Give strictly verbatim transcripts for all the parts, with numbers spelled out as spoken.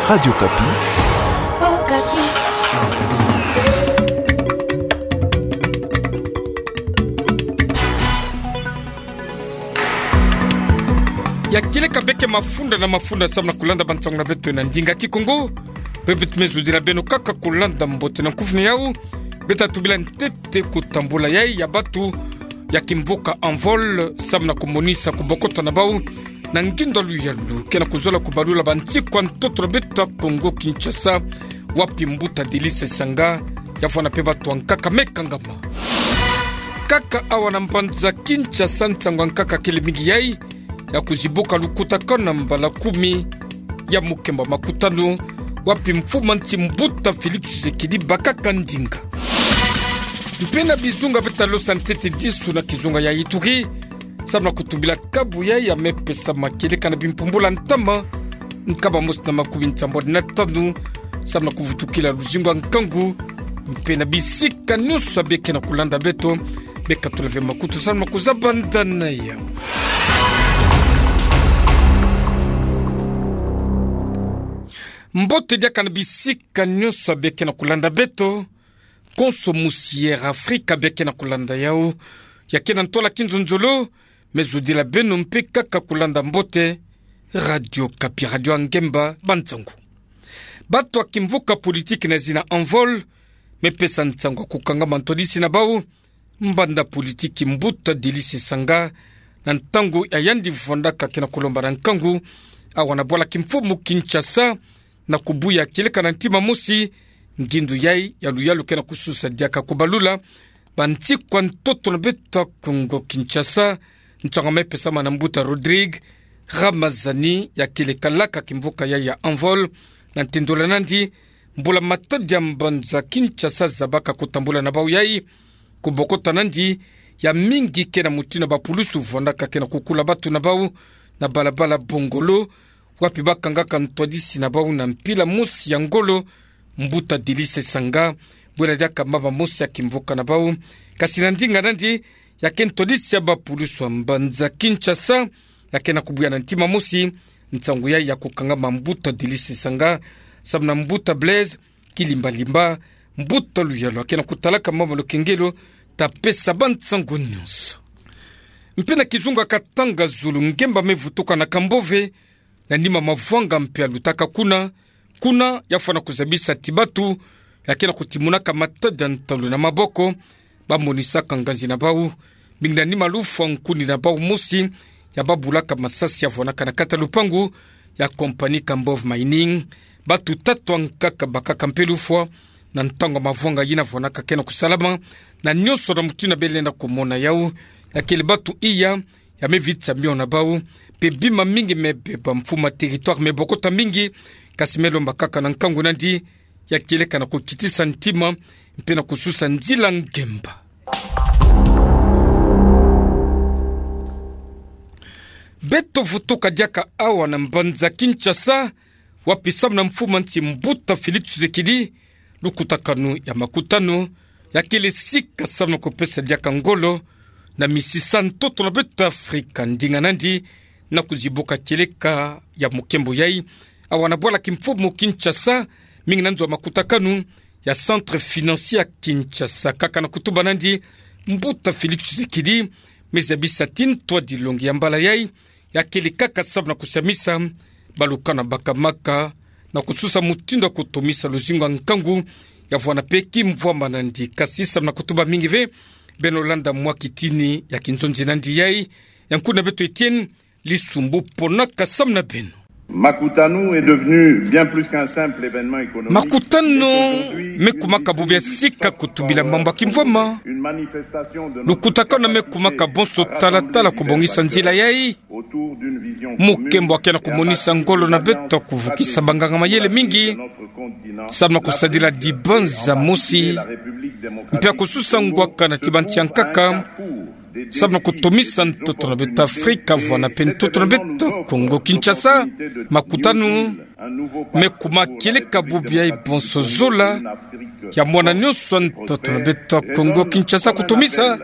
Radio Okapi. Ya kieleka beke mafunda na mafunda samu na kulanda bansangu na beto na ndinga Kikongo. Pe beto mezudila beno kaka kulanda mbote na nkufi na yau. Beto tubila ntete kutambula yai ya batu ya kimvuka Envol samu na kumonisa kubokota na bau na ngindo ya luyalu ke na kuzola kubalula bansi kwa ntoto na beto ya Kongo Kinshasa, wapi mbuta Delice Sanga yavwanda pe batu ankaka me kangama. Kaka awa na mbanza Kinshasa, nsangu ankaka kele mingi yai ya kuzibuka lukutakanu na mbala kumi ya mukembo makutanu, wapi mfumu a nsi mbuta Félix Tshisekedi bakaka ndinga. Mpe na bizunga beto talosa ntete disu na kizunga ya Ituri, samu na kutubila kabu yai ya mepesama kieleka na bimpumbula ntama nkama mosi na makumi nsambwadi na tanu, samu na kuvutukila luzingu a nkangu, mpe na bisika nyonso ya beke na kulanda beto, beka tula ve makutu samu na kuzaba ndana yau. Mbote diaka na bisika nyonso ya beke na kulanda beto, konso musi Air Afrika beke na kulanda yau, ya ke na ntwala kinzonzolo, mezudila beno mpe kaka kulanda mbote Radio Okapi, radio ya ngemba bansangu. Batu ya kimvuka politiki na zina Envol mepesa nsangu ya kukangama ntwadisi na bau mbanda politiki mbuta Delice Sanga na ntangu ya yandi vwandaka ke na kulomba na nkangu awa na bwala kimfumu Kinshasa, na kubuya kieleka na ntima mosi ngindu yai ya luyalu ke na kususa diaka kubalula bansi kwa ntoto na beto ya Kongo Kinshasa, nsangu mepesama na mbuta Rodrigue Ramazani, ya kele kalaka kimvuka yai ya Envol, na ntendola nandi mbula matadi ya mbanza Kinshasa zabaka kutambula na bau yai, kubokota nandi ya mingi ke na mutindu ya bapulusu vwandaka ke na kukula batu na bau na balabala Bongolo, wapi bakangaka ntwadisi na bau na mpila mosi ya ngolo, mbuta Delice Sanga, bwela diaka mama mosi ya kimvuka na bau. Kasi na ndinga nandi, ya ke ntwadisi ya bapulusu ya mbanza Kinshasa, ya ke na kubuya na ntima mosi nsangu yai ya kukangama mbuta Delice Sanga, samu na mbuta Blaise Kilimbalimba, mbuta luyalu ya ke na kutalaka mama lukengelo, ta pesa bansangu nyonso. Mpe na kizunga Katanga, zulu ngemba mevutuka na Kambove, na nima mavwanga mpe ya lutaka kuna, kuna ya fwana kuzabisa ti batu ya ke na kutimunaka matadi ya ntalu na maboko, bamonisaka nganzi na bau, mingi na nima lufwa nkuni na bau mosi ya babulaka masasi ya vwanaka na kati ya lupangu ya compagnie Kambove Mining. Batu tatu ankaka bakaka mpe lufwa na ntangu ya mavwanga yina vwanaka ke na kusalama, na nyonso na mutindu ya belenda kumona yau, ya kele batu iya ya mevitisa miona bau, mpe bima mingi mebeba, mfumu a territoire mebokota mingi, kasi melomba kaka na nkangu nandi ya kieleka na kukitisa ntima, mpe na kususa nzila ngemba. Beto vutuka diaka awa na mbanza Kinshasa, wapi samu na mfumu a nsi mbuta Félix Tshisekedi, lukutakanu ya makutanu ya kele sika samu na kupesa diaka ngolo na misisa ntoto na beto Afrika, ndinga nandi na kuzibuka kieleka ya mukembo yai awa na bwala kimfumu Kinshasa, mingi na nzo ya makutakanu ya Centre Financier ya Kinshasa. Kaka na kutuba nandi, mbuta Félix Tshisekedi mezabisa ti ntwadilongi ya mbala yai ya kele kaka samu na kusamisa balukana bakamaka na kususa mutindu ya kutomisa luzingu ya nkangu ya vwana mpe kimvwama nandi. Kasi samu na kutuba mingi ve, beno landa mwa kitini ya kinzonzi nandi yai, ya nkuni na beto Etienne Lisumbu, ponaka samu na beno. Makutanu est devenu bien plus qu'un simple événement économique. Makutanu mekumaka bubu ya sika kutubila mambu ya kimvwama. Lukutakanu mekumaka bonso talatala kubongisa nzila yai. Mukembo ya ke na kumonisa ngolo na beto ya kuvukisa banganga-mayele mingi samu na kusadila dibanza mosi, mpe ya kususa ngwakana ti bansi ankaka Samu na kotomisa ntoto na beto Afrika, vwanape ntoto na beto Kongo Kinshasa. Makutanu me kuma kieleka bubu yayi bonso zola ya mwana nionso ntoto na beto Kongo Kinshasa kotomisa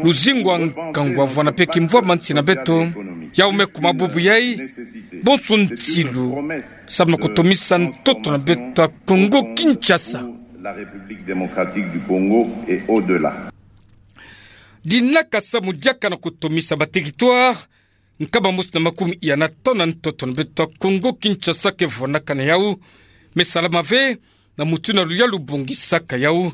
luzingu a nkangu, vwanape kimvwama nsi na beto. Yawu me kuma bubu yayi bonso nsilu samu na kotomisa ntoto na beto Kongo Kinshasa. La République démocratique du Congo et au-delà. Dinaka samu diaka na kotomisa ba territoire nkama mosi na makumi iya na tanu na ntoto na beto Kongo Kinshasa ke vwanakana yawu me salama ve na mutu na luyalu bongisaka yawu.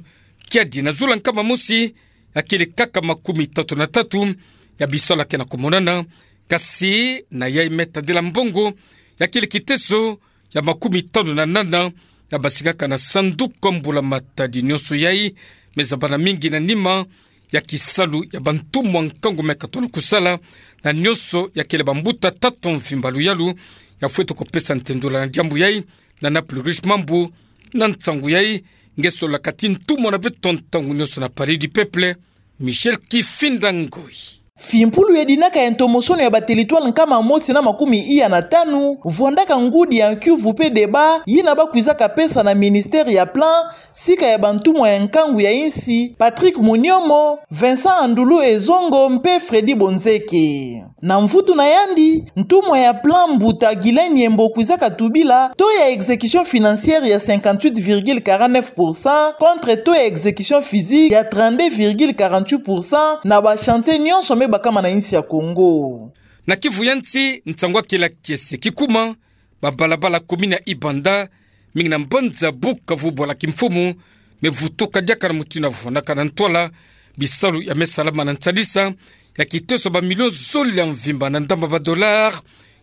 Kiadi na zola nkama mosi, ya kele kaka makumi tatu na tatu ya bisalu ya ke na komonana, kasi na yayi me tadila mbongo ya kele kiteso ya makumi tanu na nana ya basikaka na sanduku mbula-matadi nionso yayi me zabana mingi na nima ya kisalu ya bantumwa nkangu me katona kusala na nionso ya kele bambuta tata mvimba luyalu. Ya fwete kopesa ntendula na diambu yayi na Naples Riche Mambu. Na nsangu yayi, nge solaka ti ntumwa na beto ntangu nionso na Palais du Peuple, Michel Kifinda Ngoyi. Fimpulu ya dinaka ya ntomosono ya ba territoire nkama mosi na makumi iya na tanu, vwandaka ngudi ya Kiuvu pe débat yina bakwizaka pesa na ministère ya Plan, sika ya bantumwa ya nkangu ya insi, Patrick Munyomo, Vincent Andulu Ezongo mpe Freddy Bonzeke. Na mvutu na yandi, ntumwa ya Plan, mbuta Guylain Nyembo, kwizaka tubila taux ya exécution financière ya cinquante-huit virgule quarante-neuf pour cent contre taux ya exécution physique ya trente-deux virgule quarante-huit pour cent na ba chantier nionso me bakama na insi ya Kongo. Na Kivu ya nsi, nsangu ya kele ya kiese kikuma, babalabala commune ya Ibanda, mingi na mbanza Bukavu, bwala kimfumu, me vutuka diaka na mutu na vwanakana ntwala. Bisalu ya me salama na nsadisa ya kiteso ba million zole ya mvimba na ndambu ba dollars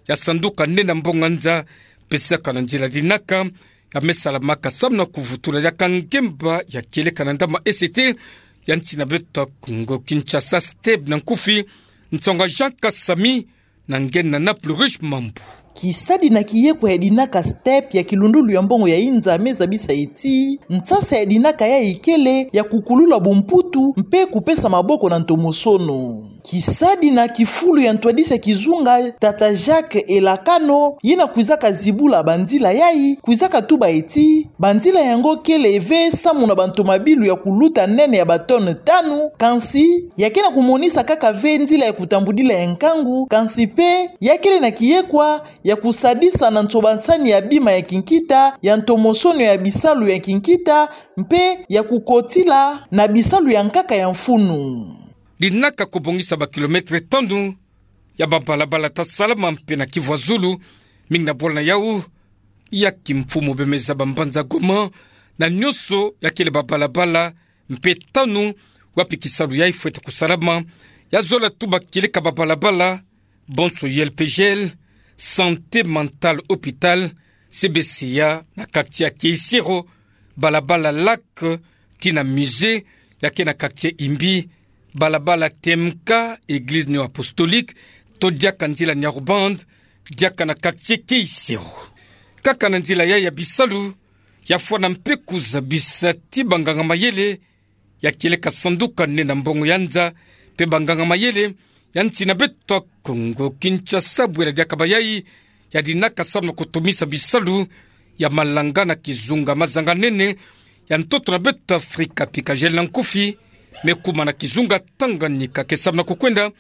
ya sanduku nene ya mbongo ya nza, pesaka na nzila dinaka ya me salamaka samu na kuvutula diaka ngemba ya kieleka na ndambu A C T ya nsi na beto Kongo Kinshasa. Step na nkufi, nsangu ya Jean Kasami, na nge na Naples Riche Mambu. Kisadi na kiyekwa ya dinaka Step ya kilundulu ya mbongo ya inza me zabisa ti nsasa ya dinaka yayi kele ya kukulula bumputu mpe kupesa maboko na ntomosono. Kisadi na kifulu ya ntwadisi ya kizunga, tata Jacques Elakano, yina kwizaka zibula banzila yayi, kwizaka tuba ti banzila yango kele ve samu na bantomabilu ya kuluta nene ya ba tonnes tanu, kansi ya ke na kumonisa kaka ve nzila ya kutambudila ya nkangu, kansi mpe ya kele na kiyekwa ya kusadisa na nsobansani ya bima ya kinkita, ya ntomosono ya bisalu ya kinkita, mpe ya kukotila na bisalu ya nkaka ya mfunu. Dinaka kobongisa ba kilomètre tanu ya babalabala ta salama mpe na Kivu ya zulu, mingi na bwala na yawu ya kimfumu bemeza ba mbanza Goma na nionso ya kele babalabala mpe tanu wapi kisalu yayi fwete kusalama. Ya zola tuba kieleka babalabala bonso, I L P G L, Santé Mentale Hôpital, C B C A na quartier ya Kiesero, balabala Lac tii na Musée ya ke na quartier Imbi, balabala T M K, Église Néo-Apostolique, to diaka nzila Nyaruband, diaka na quartier Kiesero. Kaka na nzila yayi ya bisalu, ya fwana mpe kuzabisa ti banganga-mayele ya kieleka sanduku nene ya mbongo ya nza mpe banganga-mayele ya nsi na beto Kongo Kinshasa, bwela diaka bayayi ya dinaka samu na kutumisa bisalu ya malanga na kizunga mazanga-nene ya ntoto na beto Afrika, Picagel na nkufi, me kuma na kizunga Tanganyika ke samu na kukwenda,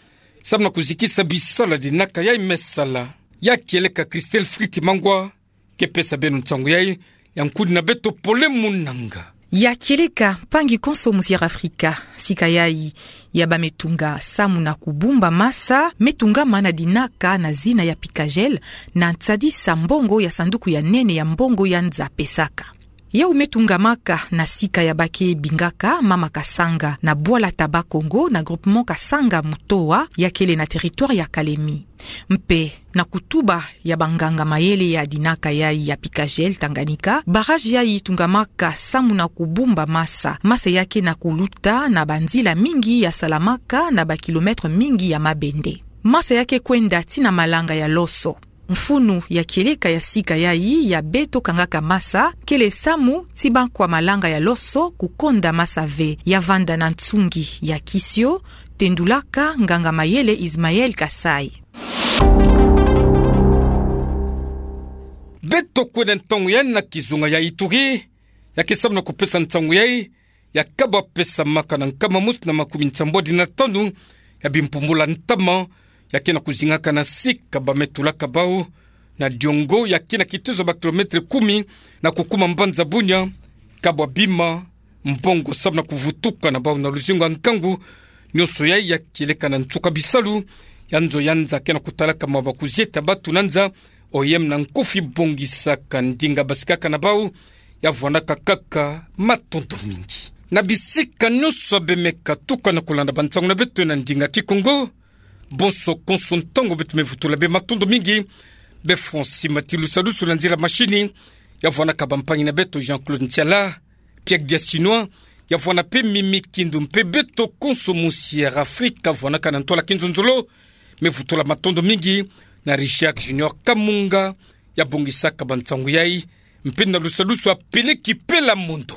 samu na kuzikisa bisalu ya dinaka yayi me sala. Ya kieleka Christelle Fritz Mangwa ke pesa beno nsangu yayi, ya nkudi na beto Pole Munanga. Ya kieleka mpangi konso mu Sierra Afrika, sika yayi ya ba me tunga samu na kubumba masa me tungama na dinaka na zina ya Picagel, na nsadisa mbongo ya sanduku ya nene ya mbongo ya nza pesaka. Yawu me tungamaka na sika ya ba ke bingaka Mama Kasanga, na bwala ta Bas-Congo, na groupement Kasanga Mutoa, ya kele na territoire ya Kalemi. Mpe na kutuba ya banganga-mayele ya dinaka yayi ya Picagel Tanganyika, barrage yayi tungamaka samu na kubumba masa, masa ya ke na kuluta na banzila mingi ya salamaka na ba kilomètre mingi ya mabende. Masa ya ke kwenda tii na malanga ya loso. Mfunu ya kieleka ya sika yayi ya beto kangaka masa kele samu ti bakwa malanga ya loso kukonda masa ve, ya vanda na nsungi ya kisio, Tendulaka nganga mayele Ismaël Kasaï. Beto kwenda ntangu ya na kizunga ya Ituri, ya ke samu na kupesa nsangu yai, ya kabwa pesamaka na nkama mosi na makumi nsambwadi na tanu ya bimpumbula ntama, ya ke na kuzingaka na sika bametulaka bau na diongo, ya ke na kitezo ba kilomètre kumi na kukuma mbanza Bunia, kabwa bima, mbongo samu na kuvutuka na bau na luzingu ya nkangu, nionso yai ya kieleka na nsuka bisalu ya nzo ya nza ke na kutalaka mawa ba kuzieta batu na nza, O I M na nkofi bongisaka ndinga basikaka na bau, ya vwanaka kaka matondo mingi. Na bisika nionso bemeka tuka na kulanda bansangu na beto na ndinga Kikongo, bonso konso ntangu beto mevutula be matondo mingi. Be Francis Matilusalusu na nzila mashini, ya vwanaka bampangi na beto Jean-Claude Ntiala, Pierre Diasinois, ya vwana mpe Mimi Kindu mpe beto konso musi Air Afrique, ya vwanaka na ntwala kinzonzolo, mevutula matondo mingi na Richard Junior Kamunga, ya bongisaka bansangu yai, mpe na lusalusu ya Peleki Pela Mondo.